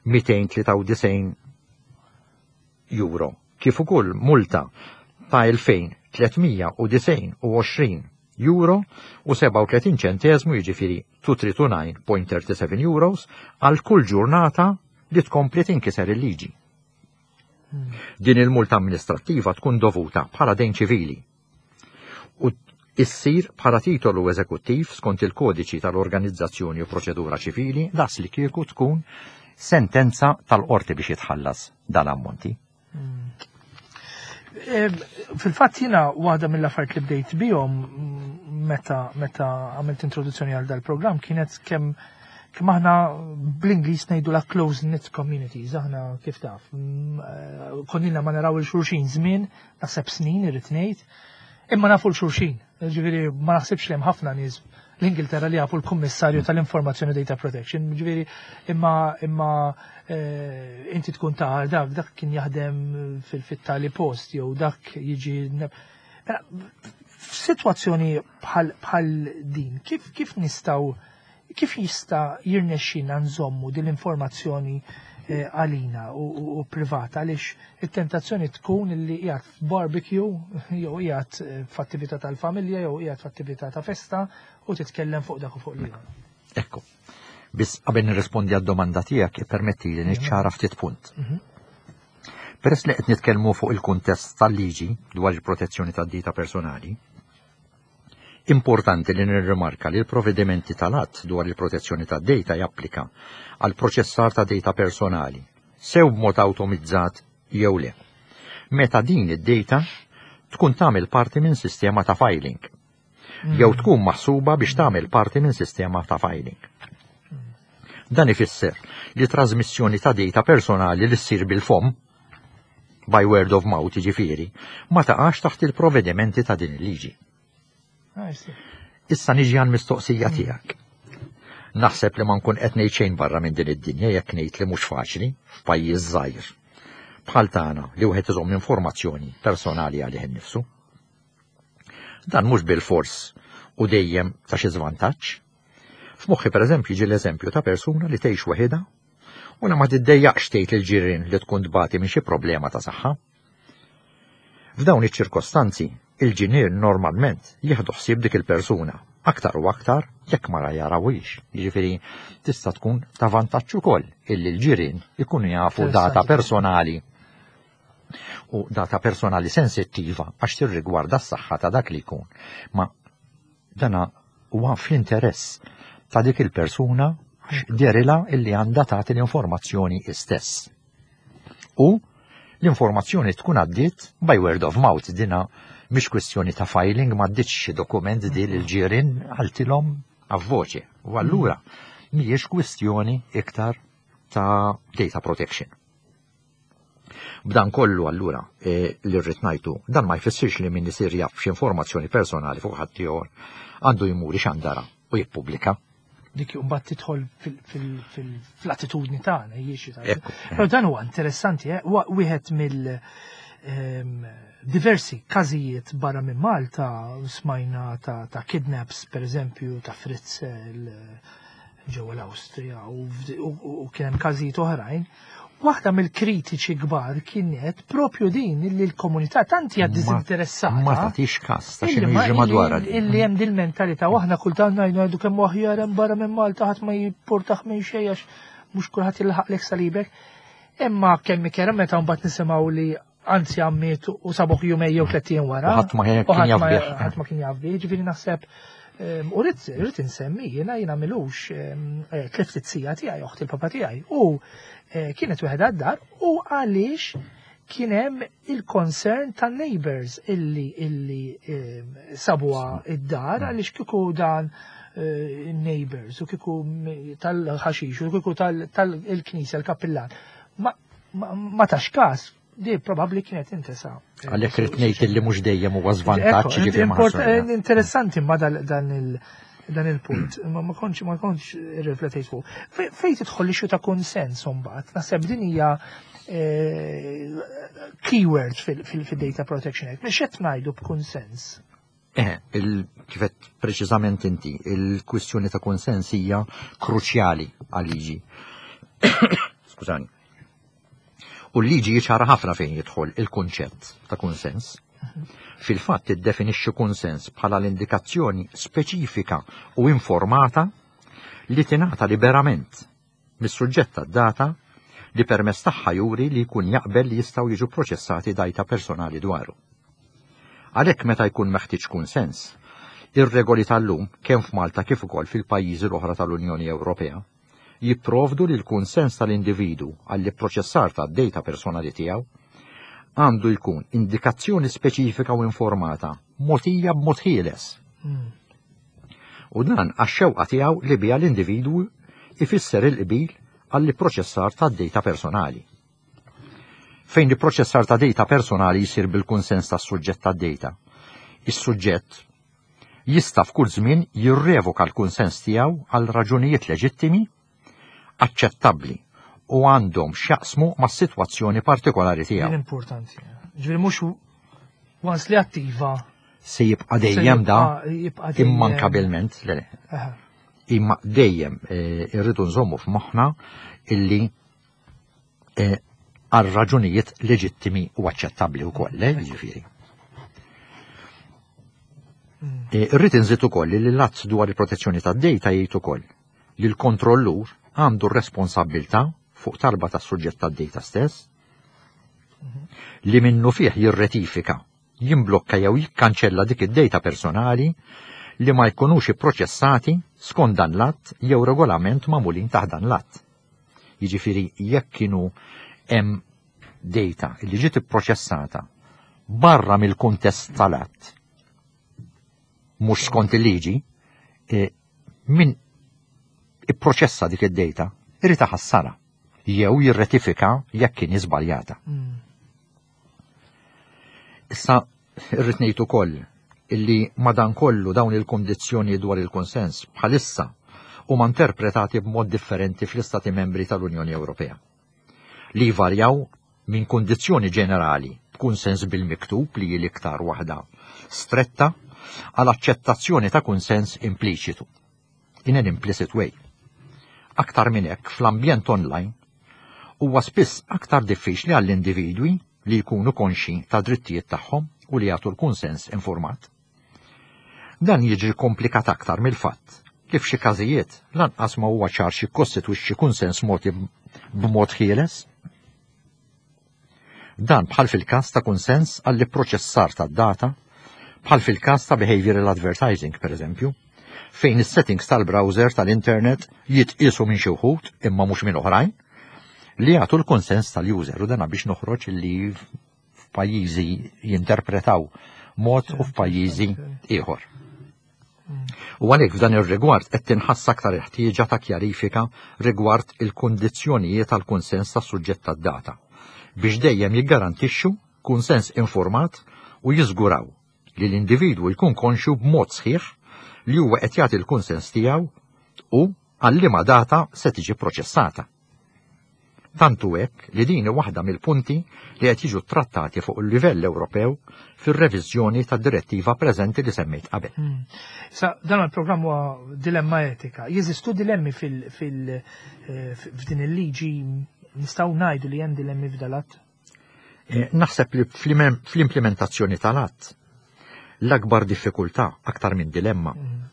mitejn tlieta u disgħin euro, kif ukoll multa ta' elfejn tliet mija u disgħin u għoxrin euro u sebgħa u tletin ċentesmu, jiġifieri elfejn tliet mija u disgħin punt tlieta u sebgħin euros, għal kull ġurnata li tkompli tinkiser il-liġi. Din il-multa amministrattiva tkun dovuta bħala dejn ċivili u issir bħala titolu eżekuttiv skont il-kodiċi tal-organizzazzjoni u proċedura ċivili, das li kieku tkun sentenza tal-qorti biex jitħallas dal-ammonti. Eh, Fil-fatt jiena waħda mill-affarijiet li bdejt bihom mm, meta meta għamilt introduzzjoni għal dal-programm kienet kemm kemm aħna bl-Ingliż ngħidu la close knit communities, aħna kif taf. mm, eh, Konnilna ma naraw il-xulxin żmien, naħseb snin irrid ngħid, imma nafu l-xulxin. Ġifieri ma naħsibx li hemm ħafna nies l-Ingilterra li jafu l-Kummissarju tal-Informazzjoni Data Protection, ġifieri imma imma eh, inti tkun ta' dak dak kien jaħdem fil-fittali post jew dak jiġi. Mela, f'sitwazzjoni bħal bħal din, kif kif nistgħu kif jista' jirnexxina nżommu din l-informazzjoni eh, għalina u, u, u privata, għaliex it-tentazzjoni tkun li qiegħed f'barbecue jew qiegħed eh, f'attività tal-familja jew qiegħed f'attività ta' festa u titkellem fuq dak u fuq l-ieħor? Ekku. Biss qabel nirrispondi għad-domanda tiegħek, ippermetti li niċċara ftit punt. Peress li qed nitkellmu fuq il-kuntest tal-liġi dwar il-protezzjoni tad-data personali, importanti li nirrimarka li l-provvedimenti tal-att dwar il-protezzjoni tad-data japplika għal proċessar ta' data personali, sew b'mod awtomizzat jew le, meta din id-data tkun tagħmel parti minn sistema ta' filing jew tkun maħsuba biex tagħmel parti minn sistema ta' filing. Dan ifisser li trasmissjoni ta' data personali li ssir bil-fom, by word of mouth jiġifieri, ma taqax taħt il-provvedimenti ta' din il-liġi. Ah, I see. Issa niġi għal mistoqsija tiegħek. Naħseb li ma nkun qed ngħid xejn barra minn din id-dinja jekk ngħid li mhux faċli f'pajjiż żgħir bħal tagħna li wieħed iżomm informazzjoni personali għalih innifsu. Dan mhux bil-fors u dejjem ta' xi żvantaġġ. F'moħħi, pereżempju, jiġi l-eżempju ta' persuna li tgħix waħedha u li ma tiddejjaqx tgħid lill-ġirien li tkun tbati minn xi problema ta' saħħa. F'dawn iċ-ċirkostanzi, il-ġirien normalment jieħdu ħsieb dik il-persuna, aktar u aktar jekk ma jarawhiex. Jiġifieri tista' tkun ta' vantaġġ ukoll illi l-ġirien ikunu jafu data Interessanti. personali u data personali sensittiva għax tirrigwarda s-saħħa ta' dak li jkun. Ma dana huwa fl-interess ta' dik il-persuna għax dehrilha illi għandha tagħti l-informazzjoni istess. U l-informazzjoni tkun għaddiet by word of mouth, dina mhix kwestjoni ta' filing, ma għaddietx xi dokument di l-ġirien, qaltilhom a voce. U allura mhijiex kwestjoni iktar ta' data protection. B'dan kollu allura e, li rrid ngħidu, dan ma jfissirx li min isir jaf x'informazzjoni personali fuq ħaddieħor għandu jmur ixandara u jippubblika. Dik mbagħad tidħol fl-attitudni tagħna jiexi. Però dan huwa interessanti, eh? Wieħed mill ehm, diversi każijiet barra minn Malta smajna ta', ta kidnaps, per eżempju, ta' Fritzl ġewwa l-Awstrija u, u kien hemm każijiet oħrajn. Waħda mill-kritiċi kbar kienet propju din li l-komunità tant hija diżinteressata. Ma tagħtix każ ta' x'inhu jiġri madwarha. Illi hemm din mentalità u aħna kultant ngħidu ngħidu kemm aħjar hemm barra minn Malta, ħadd ma jipportax minn xejn għax mhux kulħadd jilħaqlek salibek. Imma kemm ikera meta mbagħad nisimgħu li anzi għammiet u sabuh jumejn jew tliet ijiem wara. Ħadd ma kien jaf bih. Ħadd ma kien jaf bih, ġifieri naħseb u rrid rrid insemmi, jiena jiena m'ilux eh, tlift iz-zija tiegħi, oħt il-papa tiegħi, u eh, kienet waħedha d-dar u għaliex kien hemm il-concern tan-neighbors illi illi sabuha id-dar, għaliex kieku dan eh, neighbors u kieku tal-ħaxix u kieku tal-knisja, l-kappillan ma, ma tax każ, di probabbli kienet intesa. Għalhekk rrid ngħid li mhux dejjem huwa żvantaġġ, ġifieri ma Interessanti ma dan il- dan il-punt, ma ma kontx ma kontx riflettejt fuq. Fejn tidħol l ta' konsens mbagħad, naħseb din hija eh, keyword fil-Data Protection Act. Mhux qed ngħidu b'konsens? Eh, kif għedt preċiżament inti, il-kwistjoni ta' konsens hija kruċjali għal-liġi. Skużani. U l-liġi ċara ħafna fejn jidħol il-kunċett ta' konsens. Fil-fatt tiddefinixxi konsens bħala l-indikazzjoni speċifika u informata li tingħata liberament mis-suġġett tad-data li permezz tagħha juri li jkun jaqbel li jistgħu jiġu proċessati data personali dwaru. Għalhekk, meta jkun meħtieġ kunsens, ir-regoli tal-lum, kemm f'Malta kif ukoll fil-pajjiżi l-oħra tal-Unjoni Ewropea, jipprovdu li l-kunsens tal-individu għall-proċessar tad-data personali tiegħu għandu jkun indikazzjoni speċifika u informata mogħtija b'mod ħieles. Hmm. U dan għax-xewqa tiegħu li biha l-individwu ifisser il-qbil għall-proċessar tad-data personali. Fejn il-proċessar ta' data personali jisir bil-kunsens tas-suġġett tad-data, is-suġġett jista' f'kull żmien jirrevoka l-kunsens tiegħu għal raġunijiet leġittimi, aċċettabbli u għandhom x'jaqsmu mas-sitwazzjoni partikolari tiegħu. Importanti. Ġifieri mhux once li attiva se jibqa' dejjem da immankabilment, le. Imma dejjem eh, irridu nżommu f'moħħna illi eh, għal raġunijiet leġittimi u aċċettabbli wkoll, eh, jiġifieri. Mm. Irrid inżid ukoll li l-att dwar il-protezzjoni tad-data jgħid ukoll li l-kontrollur għandu r-responsabbiltà, fuq talba tas-suġġett tad-data stess, li minnu fih jirretifika, jimblokka jew jikkanċella dik id-data personali li ma jkunux ipproċessati skont dan l-att jew regolament magħmulin taħt dan l-att. Jiġifieri jekk kienu hemm data li ġiet ipproċessata barra mill-kuntest tal-att, mhux skont il-liġi, e, min ipproċessa dik id-data irid iħassarha jew jirretifika jekk kien żbaljata. Mm. Issa irrid ngħid ukoll illi madankollu dawn il-kondizzjoni dwar il-konsens bħalissa huma interpretati b'mod differenti fl-Istati membri tal-Unjoni Ewropea, li varjaw minn kondizzjoni ġenerali b'kunsens bil-miktub, li l-iktar waħda stretta, għal aċċettazzjoni ta' kunsens impliċitu, in an implicit way. Aktar minn hekk, fl-ambjent online huwa spiss aktar diffiċli għall-individwi li jkunu konxi ta' drittijiet tagħhom u li jagħtu l-kunsens informat. Dan jiġi komplikat aktar mill-fatt li f'xi każijiet lanqas ma huwa ċar xi kostitwixxi kunsens mogħti b'mod ħieles. Dan bħal fil-każ ta' kunsens għall-proċessar tad-data, bħal fil-każ ta' behavioral advertising, per eżempju, fejn is-settings tal-browser tal-internet jitqisu minn xi wħud imma mhux minn oħrajn, li jagħtu l-konsens tal-user, u dana biex noħroġ li f'pajjiżi jinterpretaw mod u f'pajjiżi ieħor. U għalhekk f'dan ir-rigward qed tinħass aktar ħtieġa ta' kjarifika rigward il-kundizzjonijiet tal-kunsens tas-suġġett tad-data biex dejjem jiggarantixxu kunsens informat u jiżguraw li l-individwu jkun konxju b'mod sħiħ li huwa qed jagħti l-kunsens tiegħu u għal liema data se tiġi proċessata. Tantu hekk li din waħda mill-punti li qed jiġu trattati fuq il-livell Ewropew fir-reviżjoni tad-direttiva preżenti li semmejt qabel. Hmm. Sa dan il-programm huwa dilemma etika. Jeżistu dilemmi fil, fil, eh, f'din il-liġi, nistgħu ngħidu li hemm dilemmi f'dal-att? Eh, naħseb li fl-implementazzjoni tal-att l-akbar diffikultà, aktar minn dilemma, mm.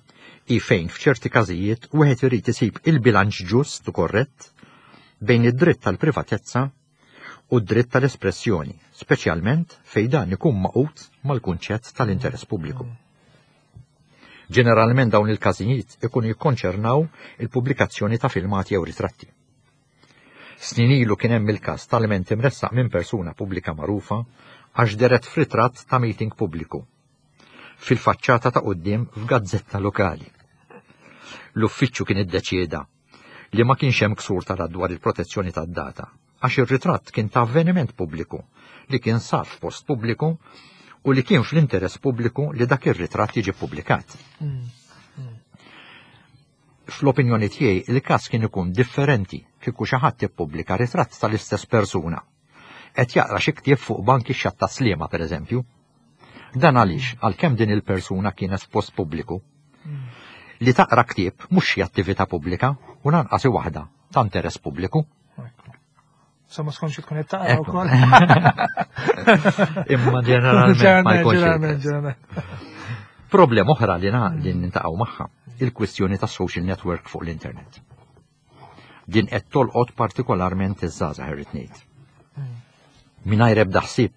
i fejn f'ċerti każijiet wieħed irid isib il-bilanċ ġust u korrett bejn id-dritt tal-privatezza u d-dritt tal-espressjoni, speċjalment fejn dan ikun magħqud mal-kunċett tal-interess pubbliku. Ġeneralment dawn il-każijiet ikunu jikkonċernaw il-pubblikazzjoni ta' filmati jew ritratti. Snin ilu kien hemm il-każ tal-ilment imressaq minn persuna pubblika magħrufa għax dehret f'ritratt ta' meeting pubbliku fil-faċċata ta' quddiem f'gazzetta lokali. L-uffiċċju kien iddeċieda li ma kienx hemm ksur tal dwar il-protezzjoni tad-data għax ir-ritratt kien ta' avveniment pubbliku li kien sar f'post pubbliku u li kien fl-interess pubbliku li dak ir-ritratt jiġi ppubblikat. Mm, mm. Fl-opinjoni tiegħi, il-każ kien ikun differenti kieku xi ħadd ippubblika ritratt tal-istess persuna qed jaqra xi ktieb fuq bank ix-Xatt Tas-Sliema, pereżempju. Dan għaliex, għalkemm din il-persuna kienet f'post pubbliku, li taqra ktieb mhux xi attività pubblika u lanqas waħda ta' interess pubbliku. Sa ma skonx tkun qed taqra wkoll. Imma ġeneralment ma jkunx. Problema oħra li li niltaqgħu magħha, il-kwistjoni ta' social network fuq l-internet. Din qed tolqot partikolarment iż-żgħażagħ, irrid ngħid. Mingħajr ebda ħsieb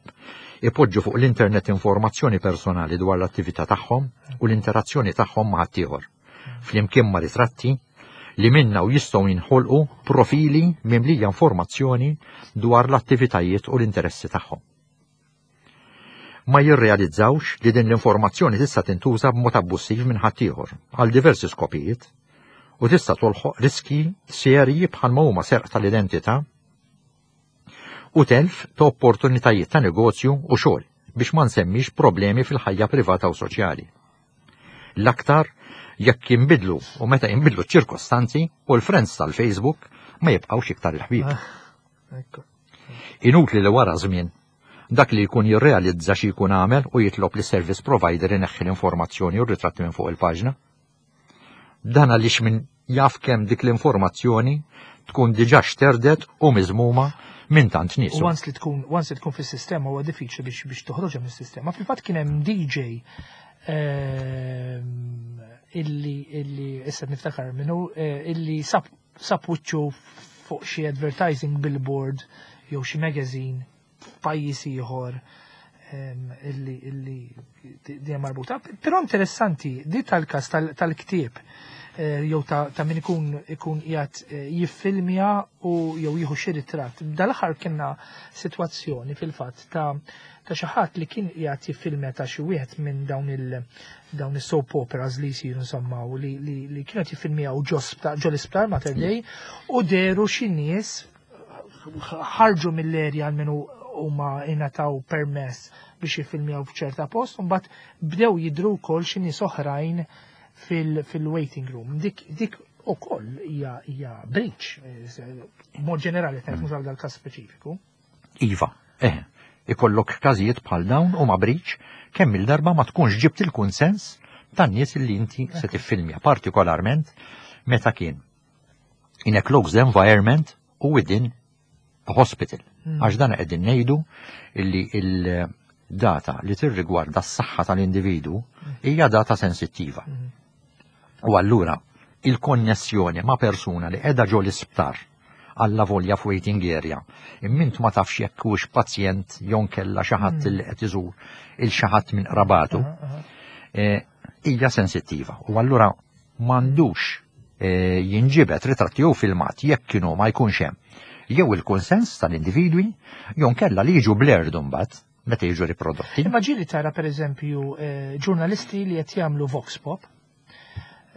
ipoġġu fuq l-internet informazzjoni personali dwar l-attività tagħhom u l-interazzjoni tagħhom ma' ħaddieħor, flimkien ma' ritratti li minna u jistgħu jinħolqu profili mimlija informazzjoni dwar l-attivitajiet u l-interessi tagħhom. Ma jirrealizzawx li din l-informazzjoni tista' tintuża b'mod abbussiv minn ħaddieħor għal diversi skopijiet u tista' toħloq riski serji bħalma huma serq tal-identità u telf ta' opportunitajiet ta' negozju u xogħol, biex ma nsemmix problemi fil-ħajja privata u soċjali. L-aktar jekk jinbidlu u meta jinbidlu ċirkostanzi u l-friends tal-Facebook ma jibqgħux iktar il-ħbieb. Ah, Inutli li wara żmien dak li jkun jirrealizza xi jkun għamel u jitlob li service provider ineħħi l-informazzjoni u r-ritratti minn fuq il-paġna. Dan għaliex min jaf kemm dik l-informazzjoni tkun diġà xterdet u miżmuma minn tant nies. U once li tkun once li tkun fis-sistema, huwa diffiċli biex biex toħroġha mis-sistema. Fil-fatt kien hemm D J ehm, illi illi issa niftakar minnu eh, illi sab sab wiċċu fuq xi advertising billboard jew xi magazine f'pajjiż ieħor ehm, illi illi di marbuta. Però interessanti di tal-każ tal-ktieb eh, jew ta', ta min ikun ikun qiegħed eh, jiffilmja u jew jieħu xi ritratt. Dal-aħħar kienna sitwazzjoni fil-fatt ta' ta' xi ħadd li kien qiegħed jiffilmja ta' xi wieħed minn dawn il dawn is-soap operas li jsiru insomma, u li li, li kienet jiffilmjaw ġo ġo l-isptar Mater Dei u dehru xi nies ħarġu mill-erja għal huma ingħataw permess biex jiffilmjaw f'ċerta post, u mbagħad bdew jidru wkoll xi nies oħrajn fil-waiting room. Dik dik ukoll hija hija breach, mod ġenerali, qed mhux għal dal-każ speċifiku. Iva, eh, ikollok każijiet bħal dawn u ma breach kemm il-darba ma tkunx ġibt il-kunsens tan-nies li inti se tiffilmja, partikolarment meta kien in a closed environment u within a hospital. Hmm. Għax dan qegħdin ngħidu illi il-data li tirrigwarda s-saħħa tal-individu hija data sensittiva. Hmm. U allura il-konnessjoni ma' persuna li qiegħda ġo l-isptar għalla volja f'waiting area, imma int ma tafx jekk hux pazjent jew kella xi ħadd hmm. li qed iżur il xi ħadd minn qrabatu, eh, hija sensittiva. U allura m'għandux eh, jinġibet ritratti jew filmat jekk kienu ma jkunx hemm Jew il-konsens tal-individwi, jew nkella li jiġu blurred imbagħad meta jiġu riprodotti. Imma ġieli tara, per eżempju, eh, ġurnalisti li qed jagħmlu vox pop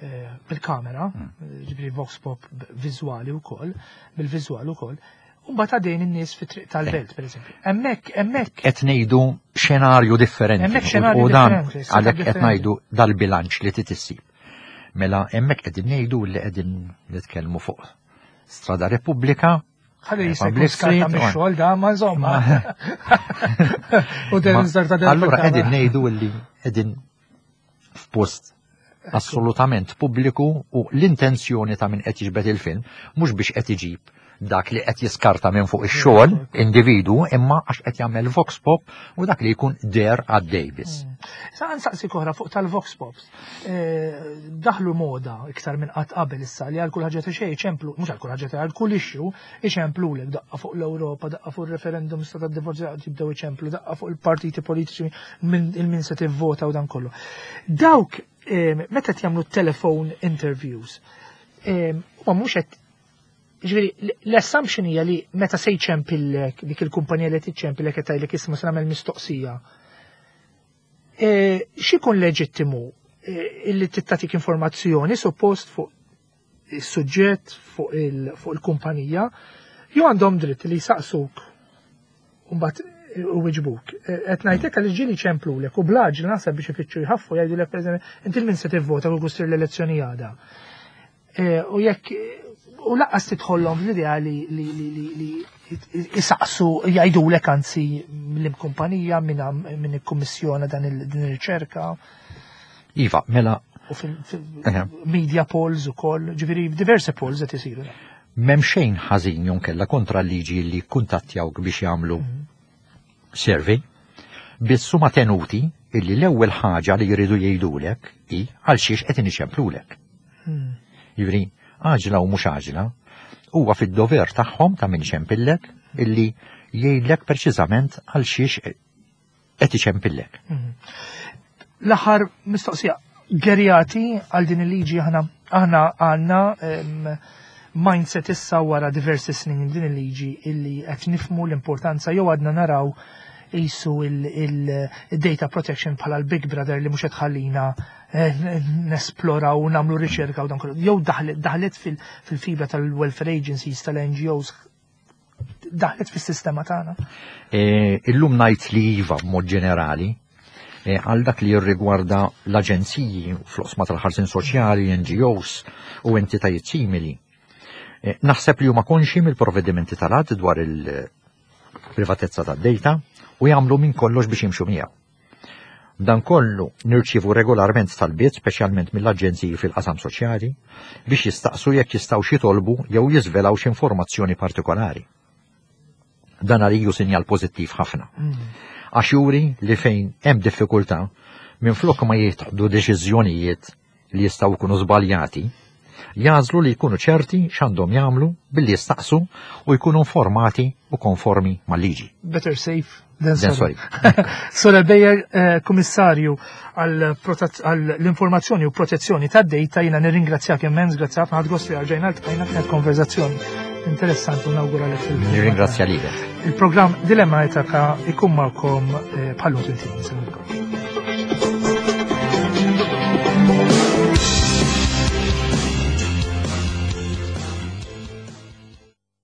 eh, bil-kamera, mm. ġifieri vox pop viżwali wkoll, bil-viżwal ukoll, u mbagħad għadejn in-nies fit-triq tal-belt, per eżempju. Hemmhekk, hemmhekk. Qed ngħidu xenarju differenti. Hemmhekk xenarju U dan differenti, għalhekk qed differenti. ngħidu dal-bilanċ li trid issib. Mela hemmhekk qegħdin ngħidu li qegħdin nitkellmu fuq Strada Repubblika, Ħalli jista' jkun Public skarta Street, mix-xogħol da, ma insomma. U Ma- den żarta del Allura qegħdin ngħidu li qegħdin f'post assolutament pubbliku u l-intenzjoni ta' min qed jiġbed il-film mhux biex qed iġib dak li qed jiskarta minn fuq ix-xogħol individu, imma għax qed jagħmel vox pop u dak li jkun der għaddej biss. Sa nsaqsi oħra fuq tal-vox pops. Eh, Daħlu moda iktar minn qatt qabel issa li għal kull ħaġa ta' xejn iċemplu, mhux għal kull ħaġa ta' għal kull issue iċemplulek, daqqa fuq l-Ewropa, daqqa fuq il-referendum sta tad-divorzju jibdew iċemplu, daqqa fuq il-partiti politiċi minn il-min se tivvota u dan kollu. Dawk eh, meta qed jagħmlu telephone interviews, eh, huma mhux qed, ġifieri, l-assumption hija li meta se jċempillek dik il-kumpanija li tiċċempillek qed tgħidlek, "Isma', se nagħmel mistoqsija." E, X'ikun leġittimu e, illi tittatik informazzjoni suppost fuq is-suġġett, fuq il- fuq il-kumpanija, jew għandhom dritt li jsaqsuk u mbagħad u wiġbuk? E, Qed ngħidlek għal ġieli ċemplulek u blaġ naħseb biex ifittxu jħaffu jgħidulek, pereżempju, "Inti min se tivvota kieku ssir l-elezzjoni għada?" E, U jekk u lanqas tidħollhom fl-idea li li li li li isaqsu, jgħidulek anzi mill-kumpanija minn min ikkummissjona dan il- din ir-riċerka. Iva, mela u Eħe. fil-media polls ukoll, ġifieri diversi polls qed isiru. M'hemm xejn ħażin jonkella kontra l-liġi li kuntattjawk biex jagħmlu survey, biss huma tenuti illi l-ewwel ħaġa li jridu jgħidulek hi għal xiex qed iniċemplulek. Jiġifieri, għaġla u mhux għaġla, huwa fid-dover tagħhom ta' min iċempillek illi jgħidlek preċiżament għal xiex qed iċempillek. L-aħħar mistoqsija, gerjati għal din il-liġi? Aħna aħna għandna em, mindset issa wara diversi snin din il-liġi illi qed nifmu l-importanza, jew għadna naraw jisu il-data protection bħala l-Big Brother li mhux qed tħallina eh, nesploraw u nagħmlu riċerka u dan kollu? Jew daħlet daħlet fil- fil-fibra tal-welfare agencies, tal-N G Os, daħlet fis-sistema tagħna? E, illum ngħid li iva b'mod ġenerali, e, għal dak li jirrigwarda l-aġenziji fl-oqsma tal-ħarsin soċjali, N G Os u entitajiet simili. E, naħseb li huma konxi mill-provvedimenti tal-att dwar il-privatezza tad-data u jagħmlu minn kollox biex jimxu miegħu. Dan kollu nirċivu regolarment talbiet, speċjalment mill-aġenziji fil-qasam soċjali, biex jistaqsu jekk jistgħu jitolbu jew jiżvelaw xi informazzjoni partikolari. Dan għalija sinjal pożittiv ħafna. Għax juri li fejn hemm diffikultà, minflok ma jieħdu deċiżjonijiet li jistgħu jkunu żbaljati, jagħżlu li jkunu ċerti x'għandhom jagħmlu billi jistaqsu u jkunu informati u konformi mal-liġi. Better safe than Than sorry. Sorel Bejer, eh, Kummissarju għall-informazzjoni u protezzjoni tad-data, jiena nirringrazzjak immens, grazzi ħafna, ħadt gost li erġajna ltqajna, kienet konverzazzjoni interessanti u nawguralek fil Nirringrazzja lilek. Il-programm Dilemma Etika ikun magħkom eh, bħal-lum tmint ijiem.